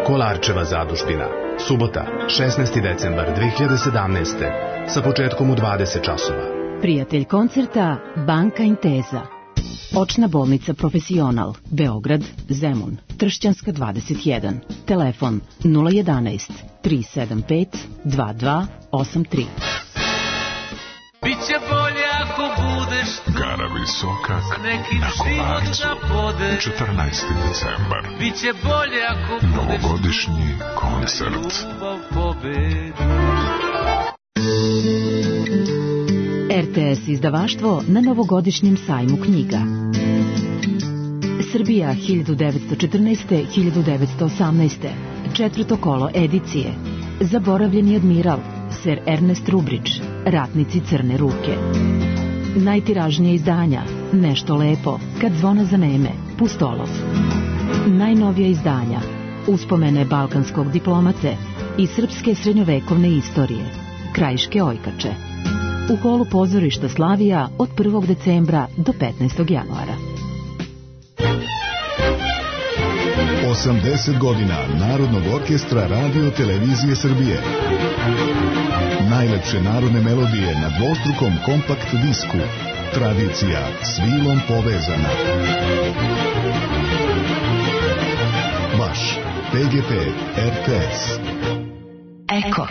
Kolarčeva zadužbina, subota, 16. decembar 2017. sa početkom u 20 časova. Prijatelj koncerta Banka Inteza. Očna bolnica Profesional, Beograd, Zemun, Tršćanska 21. Telefon 011 375 2283. Biće bolje ako budeš tu. Gara Visokak na Kolarcu, 14. decembar. Biće bolje ako budeš novogodišnji koncert. RTS izdavaštvo na novogodišnjem sajmu knjiga. Srbija 1914-1918. Četvrto kolo edicije. Zaboravljeni admiral, Sir Ernest Rubrić, Ratnici crne ruke. Najtiražnije izdanja, Nešto lepo, Kad zvona zaneme, Pustolov. Najnovija izdanja, Uspomene balkanskog diplomate i srpske srednjovekovne istorije, Krajiške ojkače. U holu pozorišta Slavija od 1. decembra do 15. januara. 80 godina Narodnog orkestra Radio Televizije Srbije. Najlepše narodne melodije na dvostrukom kompakt disku. Tradicija s vilom povezana. Vaš PGP RTS. Eko.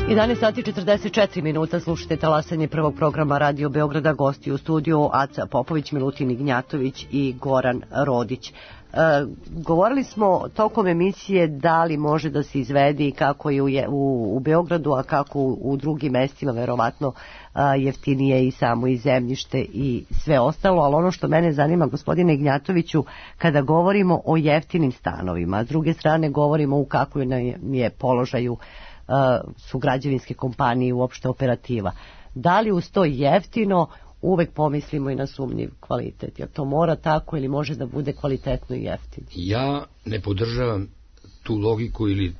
11 sati 44 minuta, slušajte talasanje prvog programa Radio Beograda, gosti u studiju Aca Popović, Milutin Ignjatović i Goran Rodić. Govorili smo tokom emisije da li može da se izvedi kako je u Beogradu, a kako u drugim mestima, verovatno jeftinije i samo i zemljište i sve ostalo, ali ono što mene zanima, gospodine Ignjatoviću, kada govorimo o jeftinim stanovima, a s druge strane govorimo u kakvom je položaju su građevinske kompanije, uopšte operativa. Da li uz to jeftino uvek pomislimo i na sumnjiv kvalitet? Jer to mora tako ili može da bude kvalitetno i jeftino? Ja ne podržavam tu logiku ili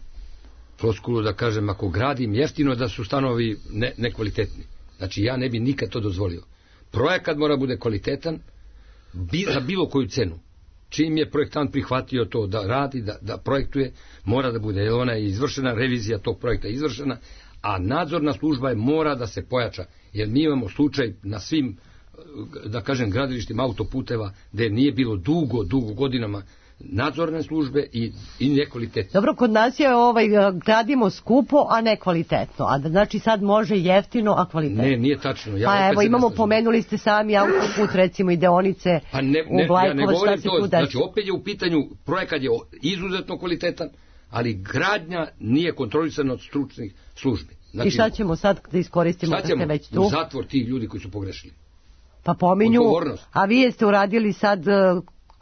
floskulu da kažem ako gradim jeftino da su stanovi nekvalitetni. Znači ja ne bi nikad to dozvolio. Projekat mora bude kvalitetan za bilo koju cenu. Čim je projektant prihvatio to da radi, da projektuje, mora da bude, jer ona je izvršena, revizija tog projekta je izvršena, a nadzorna služba mora da se pojača, jer mi imamo slučaj na svim da kažem, gradilištima autoputeva, gde nije bilo dugo godinama nadzorne službe i nekvalitetno. Dobro, kod nas je gradimo skupo, a ne kvalitetno. A znači sad može jeftino, a kvalitetno. Ne, nije tačno. Pa evo, imamo, pomenuli ste sami autoput, recimo i deonice u Vlajkovac. Ja ne govorim to, znači opet je u pitanju, projekat je izuzetno kvalitetan, ali gradnja nije kontrolisana od stručnih službi. Znači, i šta ćemo sad da iskoristimo da ste već tu? U zatvor tih ljudi koji su pogrešili. Pa pominju, a vi jeste uradili sad,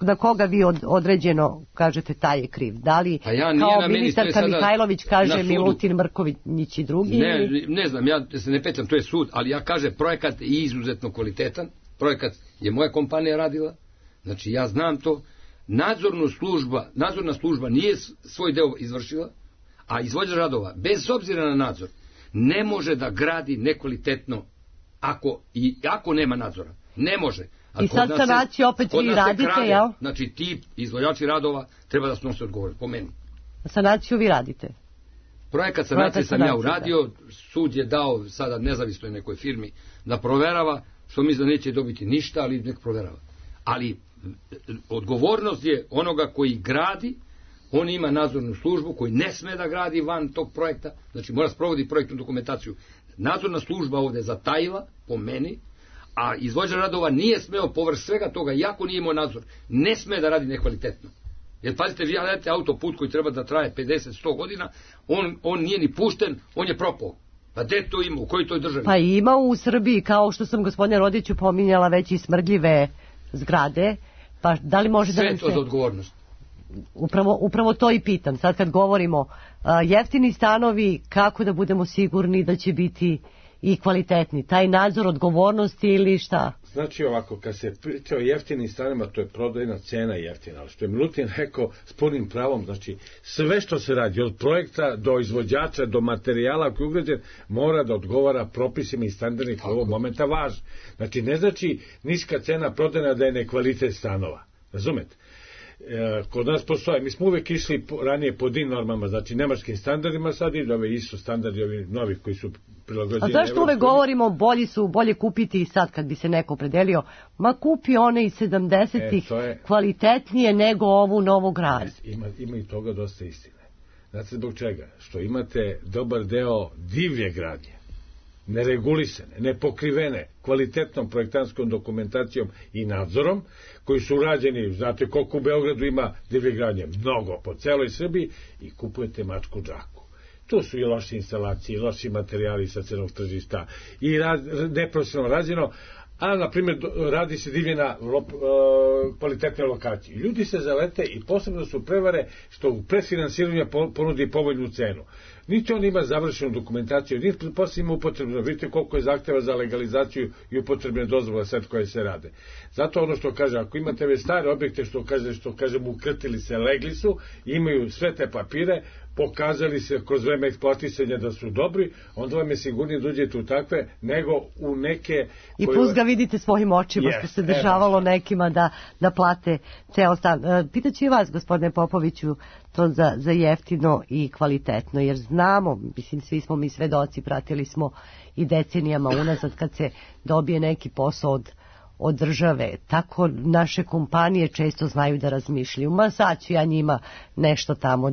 na koga vi određeno kažete taj je kriv? Da li kao ministarka Mihajlović kaže Milutin Mrković i drugi? Ne znam, ja se ne petljam, to je sud, ali ja kažem projekat je izuzetno kvalitetan, projekat je moja kompanija radila, znači ja znam to, nadzorna služba nije svoj deo izvršila, a izvođač radova, bez obzira na nadzor, ne može da gradi nekvalitetno ako nema nadzora. Ne može. I sad sanaciju opet vi radite, jel? Znači ti izvođači radova treba da snose odgovornost, po meni. Sanaciju vi radite? Projekat sanacije sam ja uradio, sud je dao sada nezavisnoj nekoj firmi da proverava, što mi neće dobiti ništa, ali nek proverava. Ali odgovornost je onoga koji gradi, on ima nadzornu službu koji ne sme da gradi van tog projekta, znači mora sprovodi projektnu dokumentaciju. Nadzorna služba ovde zatajila, po meni, a izvođač radova nije smeo povrh svega toga, iako nije imao nadzor, ne sme da radi nekvalitetno. Jer pazite, vi radite autoput koji treba da traje 50-100 godina, on nije ni pušten, on je propao. Pa gde to ima, u kojoj toj državi? Pa ima u Srbiji, kao što sam gospodine Rodiću pominjala, već i smrdljive zgrade, pa da li može da nam se... Sve to za odgovornost. Upravo to i pitam. Sad kad govorimo jeftini stanovi, kako da budemo sigurni da će biti i kvalitetni? Taj nadzor odgovornosti ili šta? Znači ovako, kad se priča o jeftinim stanovima, to je prodajna cena jeftina, ali što je Milutin rekao s punim pravom, znači sve što se radi, od projekta do izvođača, do materijala koji je ugrađen, mora da odgovara propisima i standardima koji ovog momenta važni. Znači ne znači niska cena prodajna da je nekvalitet stanova. Razumete? Kod nas postoje, mi smo uvek išli ranije po DIN normama, znači nemačkim standardima, sad i ove ISO standardi, ovi novi koji su prilagođeni. A zašto uvek govorimo bolje kupiti i sad kad bi se neko opredelio, ma kupi one iz 70-ih kvalitetnije nego ovu novu grad. Ima i toga dosta istine. Znate zbog čega? Što imate dobar deo divlje gradnje, neregulisane, nepokrivene kvalitetnom projektantskom dokumentacijom i nadzorom, koji su urađeni, znate koliko u Beogradu ima divlje gradnje, mnogo po celoj Srbiji, i kupujete mačku džaku. Tu su i loše instalacije, i loši materijali sa crnog tržišta, i neprofesionalno rađeno, a na primjer radi se divlje na kvalitetne lokacije. Ljudi se zalete i posebno su prevare što u predfinansiranju ponudi povoljnu cenu. Niti on ima završenu dokumentaciju, niti posle ima upotrebno. Vidite koliko je zahteva za legalizaciju i upotrebne dozvole sad koje se rade. Zato ono što kaže, ako imate već stare objekte, što kažem ukrtili se, legli su, imaju sve te papire, pokazali se kroz vreme eksploatisanja da su dobri, onda vam je sigurnije da uđete u takve, nego u neke... I plus ga vidite svojim očima, što se dešavalo nekima da plate ceo stan. Pitaću i vas, gospodine Popoviću, to za jeftino i kvalitetno, jer znamo, mislim, svi smo mi svedoci, pratili smo i decenijama unazad kad se dobije neki posao od države, tako naše kompanije često znaju da razmišljaju. Ma sad ću ja njima nešto tamo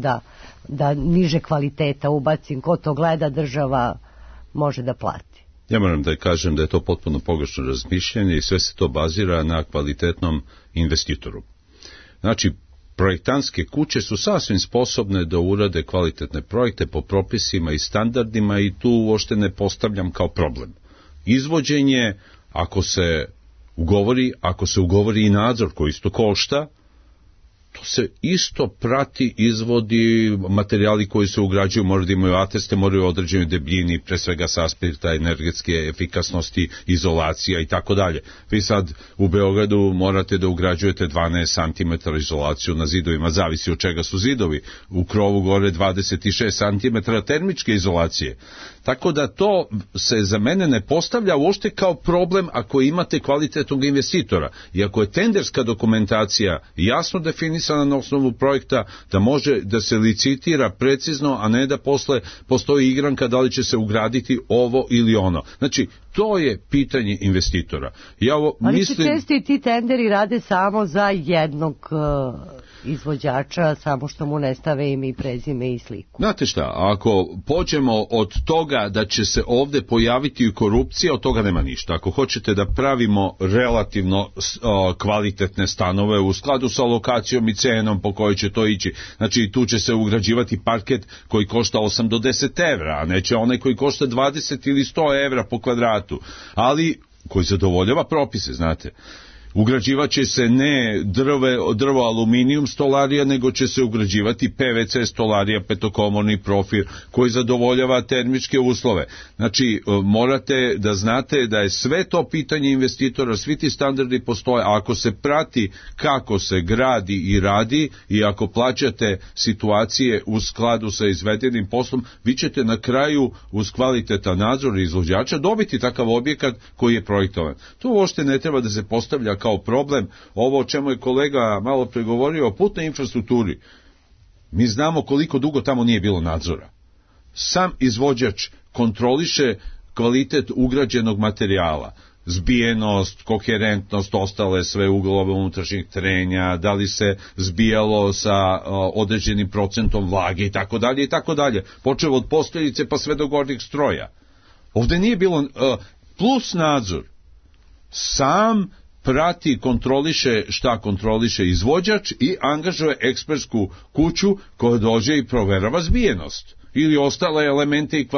da niže kvaliteta ubacim, ko to gleda, država može da plati. Ja moram da kažem da je to potpuno pogrešno razmišljanje i sve se to bazira na kvalitetnom investitoru. Znači, projektantske kuće su sasvim sposobne da urade kvalitetne projekte po propisima i standardima i tu uopšte ne postavljam kao problem. Izvođenje, ako se ugovori i nadzor koji isto košta, to se isto prati, izvodi, materijali koji se ugrađuju moraju da imaju ateste, moraju određenoj debljini, pre svega sa aspekta energetske efikasnosti, izolacija i tako dalje. Vi sad u Beogradu morate da ugrađujete 12 cm izolaciju na zidovima, zavisi od čega su zidovi, u krovu gore 26 cm termičke izolacije. Tako da to se za mene ne postavlja uopšte kao problem ako imate kvalitetnog investitora. I ako je tenderska dokumentacija jasno definisana na osnovu projekta, da može da se licitira precizno, a ne da posle postoji igranka da li će se ugraditi ovo ili ono. Znači, To je pitanje investitora. Ali mislim... se često i ti tenderi rade samo za jednog izvođača, samo što mu ne stave ime i prezime i sliku. Znate šta, ako pođemo od toga da će se ovde pojaviti korupcija, od toga nema ništa. Ako hoćete da pravimo relativno kvalitetne stanove u skladu sa lokacijom i cenom po kojoj će to ići, znači tu će se ugrađivati parket koji košta 8 do 10 evra, a neće onaj koji košta 20 ili 100 evra po kvadratu, ali koji zadovoljava propise, znate. Ugrađivaće se ne drvo aluminijum stolarija, nego će se ugrađivati PVC stolarija, petokomorni profil, koji zadovoljava termičke uslove. Znači, morate da znate da je sve to pitanje investitora, svi ti standardi postoje, a ako se prati kako se gradi i radi i ako plaćate situacije u skladu sa izvedenim poslom, vi ćete na kraju uz kvalitetan nadzor izvođača dobiti takav objekat koji je projektovan. To uopšte ne treba da se postavlja kao problem. Ovo o čemu je kolega malo pregovorio o putnoj infrastrukturi. Mi znamo koliko dugo tamo nije bilo nadzora. Sam izvođač kontroliše kvalitet ugrađenog materijala, zbijenost, koherentnost, ostale sve uglove unutrašnjih trenja, da li se zbijalo sa određenim procentom vlage i tako dalje i tako dalje. Počeo od posteljice pa sve do gornjeg stroja. Ovde nije bilo plus nadzor. Sam prati, kontroliše šta kontroliše izvođač i angažuje ekspertsku kuću koja dođe i proverava zbijenost ili ostale elemente i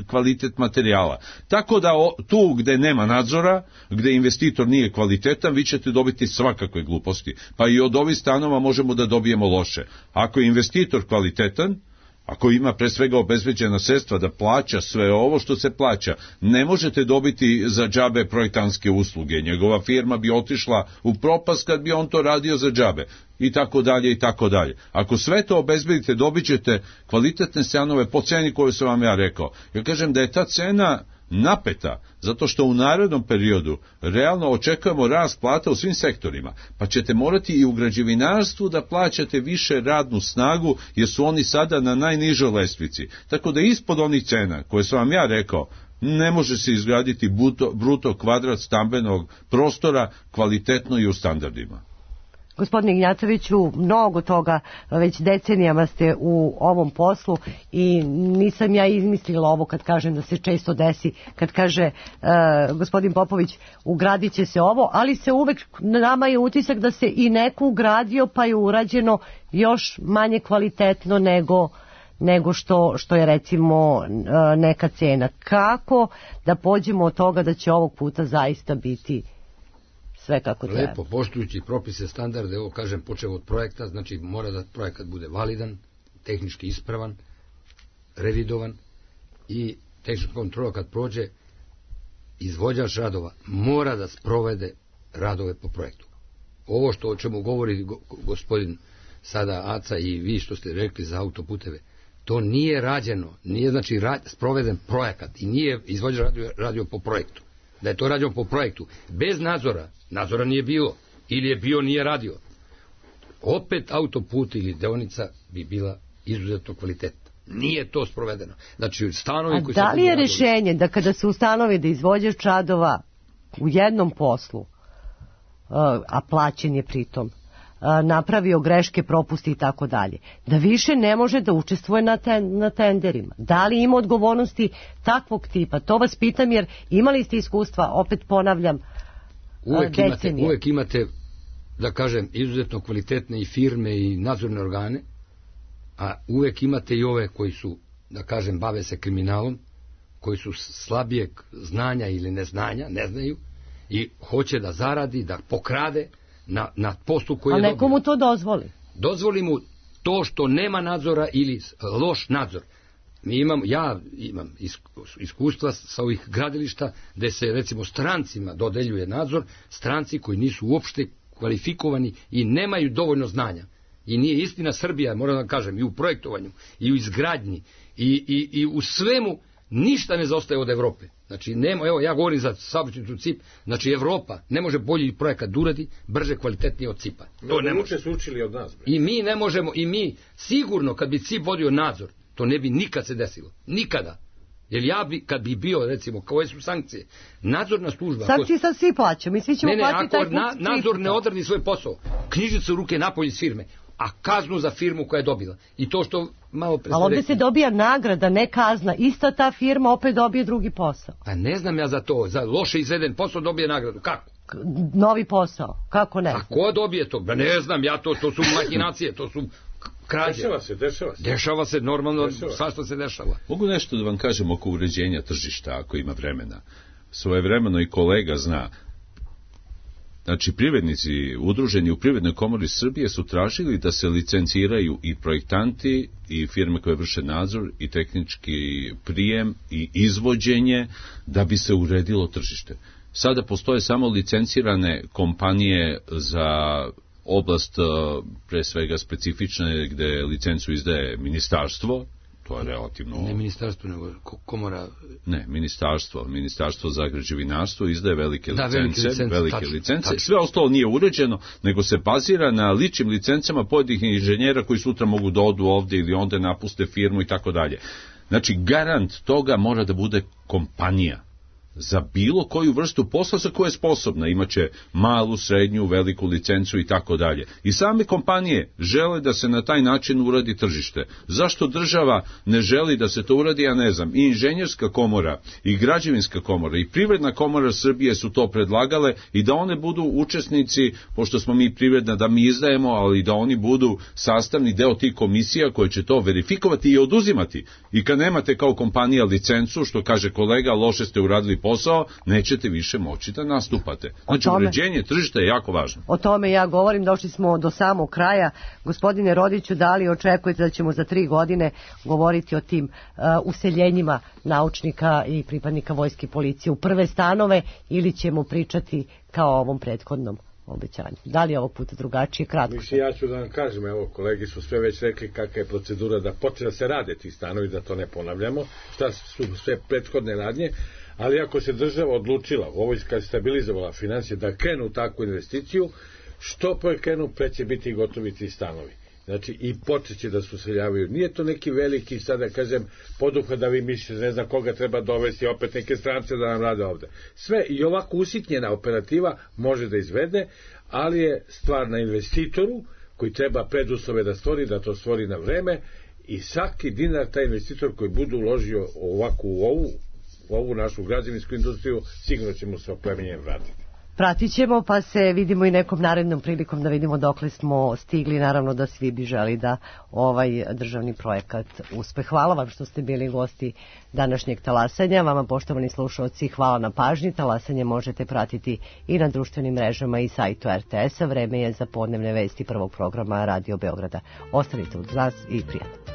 kvalitet materijala. Tako da tu gde nema nadzora, gde investitor nije kvalitetan, vi ćete dobiti svakakve gluposti. Pa i od ovih stanova možemo da dobijemo loše. Ako je investitor kvalitetan, ako ima pre svega obezbeđena sredstva da plaća sve ovo što se plaća, ne možete dobiti za džabe projektantske usluge. Njegova firma bi otišla u propast kad bi on to radio za džabe. I tako dalje, i tako dalje. Ako sve to obezbedite, dobit ćete kvalitetne stanove po ceni koju sam vam ja rekao. Ja kažem da je ta cena napeta, zato što u narednom periodu realno očekujemo rast plata u svim sektorima, pa ćete morati i u građevinarstvu da plaćate više radnu snagu, jer su oni sada na najnižoj lestvici. Tako da ispod onih cena koje sam vam ja rekao, ne može se izgraditi bruto kvadrat stambenog prostora kvalitetno i u standardima. Gospodine Ignjatoviću, mnogo toga već decenijama ste u ovom poslu i nisam ja izmislila ovo kad kažem da se često desi, kad kaže gospodin Popović ugradit će se ovo, ali se uvek, nama je utisak da se i neko ugradio pa je urađeno još manje kvalitetno nego što je recimo neka cena. Kako da pođemo od toga da će ovog puta zaista biti sve kako treba? Lepo, poštujući propise, standarde, ovo kažem, počeo od projekta, znači mora da projekat bude validan, tehnički ispravan, revidovan i tehnička kontrola kad prođe, izvođač radova mora da sprovede radove po projektu. Ovo što o čemu govori gospodin sada Aca i vi što ste rekli za autoputeve, to nije rađeno, nije znači sproveden projekat i nije izvođač radio po projektu. Da je to rađeno po projektu, bez nadzora nije bilo, ili je bio, nije radio. Opet autoput ili deonica bi bila izuzetno kvalitetna. Nije to sprovedeno. Znači, stanovi koji da li je rešenje da kada se ustanovi da izvođač radova u jednom poslu, a plaćen je pritom, napravio greške, propusti i tako dalje, da više ne može da učestvuje na tenderima? Da li ima odgovornosti takvog tipa? To vas pitam jer imali ste iskustva, opet ponavljam, decenije. Uvek imate, da kažem, izuzetno kvalitetne i firme i nadzorne organe, a uvek imate i ove koji su, da kažem, bave se kriminalom, koji su slabijeg znanja ili neznanja, ne znaju, i hoće da zaradi, da pokrade na poslu koji je dobio. A nekomu to dozvoli? Dozvoli mu to što nema nadzora ili loš nadzor. Ja imam iskustva sa ovih gradilišta gde se recimo strancima dodeljuje nadzor, stranci koji nisu uopšte kvalifikovani i nemaju dovoljno znanja. I nije istina, Srbija, moram da kažem, i u projektovanju, i u izgradnji, i u svemu, ništa ne zaostaje od Evrope. Znači, evo, ja govorim za saobraćajnicu CIP, znači Evropa ne može bolji projekat da uradi, brže, kvalitetnije od CIP-a. To ne može. Su učili od nas. I mi ne možemo, i mi sigurno, kad bi CIP vodio nadzor, to ne bi nikad se desilo. Nikada. Jer ja bi, kad bi bio, recimo, koje su sankcije, nadzorna služba... Sankcije sad svi plaćaju, mi svi ćemo plaćati taj put. Nadzor ne odradi svoj posao, knjižice u ruke napolje iz firme, a kaznu za firmu koja je dobila. I to što malo pre... Ali ovdje se dobija nagrada, ne kazna. Ista ta firma opet dobije drugi posao. A ne znam ja za to. Za loše izveden posao dobije nagradu. Kako? Novi posao. Kako ne? A ko dobije to? Ba ne znam ja to. To su mahinacije, to su krađe. Dešava se normalno, svašta se dešava. Mogu nešto da vam kažem oko uređenja tržišta, ako ima vremena. Svojevremeno i kolega zna. Znači, privrednici udruženi u Privrednoj komori Srbije su tražili da se licenciraju i projektanti i firme koje vrše nadzor i tehnički prijem i izvođenje da bi se uredilo tržište. Sada postoje samo licencirane kompanije za oblast pre svega specifične gde licencu izdaje ministarstvo. To je relativno... Ne ministarstvo, nego komora... Ne, ministarstvo za građevinarstvo izdaje velike licence. Tačno. Sve ostalo nije uređeno, nego se bazira na ličnim licencama pojedinih inženjera koji sutra mogu da odu ovde ili onda napuste firmu i tako dalje. Znači, garant toga mora da bude kompanija za bilo koju vrstu posla za koju je sposobna. Imaće malu, srednju, veliku licencu i tako dalje. I same kompanije žele da se na taj način uradi tržište. Zašto država ne želi da se to uradi, ja ne znam. I inženjerska komora, i građevinska komora, i Privredna komora Srbije su to predlagale i da one budu učesnici, pošto smo mi privredna, da mi izdajemo, ali da oni budu sastavni deo tih komisija koje će to verifikovati i oduzimati. I kad nemate kao kompanija licencu, što kaže kolega, loše ste uradili posao, nećete više moći da nastupate. Znači, uređenje tržišta je jako važno. O tome ja govorim, došli smo do samog kraja. Gospodine Rodiću, da li očekujete da ćemo za 3 godine govoriti o tim useljenjima naučnika i pripadnika vojske i policije u prve stanove ili ćemo pričati kao o ovom prethodnom obećanju? Da li je ovog puta drugačije? Kratko. Mislim, ja ću da vam kažem, evo, kolegi su sve već rekli kakva je procedura da počne da se rade ti stanovi, da to ne ponavljamo, šta su sve prethodne radnje, ali ako se država odlučila, ovo kad stabilizovala financije, da krenu u takvu investiciju, što pre krenu, pre će biti gotovi ti stanovi. Znači, i počeće da se useljavaju. Nije to neki veliki, sada kažem, poduhvat da vi mislite, ne znam koga treba dovesti, opet neke strance da nam rade ovde. Sve, i ovako usitnjena operativa može da izvede, ali je stvar na investitoru, koji treba preduslove da stvori, da to stvori na vreme, i svaki dinar taj investitor koji bude uložio ovako u ovu našu građevinsku industriju, sigurno ćemo se opremenjem vratiti. Pratit ćemo, pa se vidimo i nekom narednom prilikom da vidimo dokle smo stigli. Naravno da svi bi želi da ovaj državni projekat uspe. Hvala vam što ste bili gosti današnjeg talasanja. Vama, poštovani slušalci, hvala na pažnji. Talasanje možete pratiti i na društvenim mrežama i sajtu RTS-a. Vreme je za podnevne vesti prvog programa Radio Beograda. Ostanite uz nas i prijatno.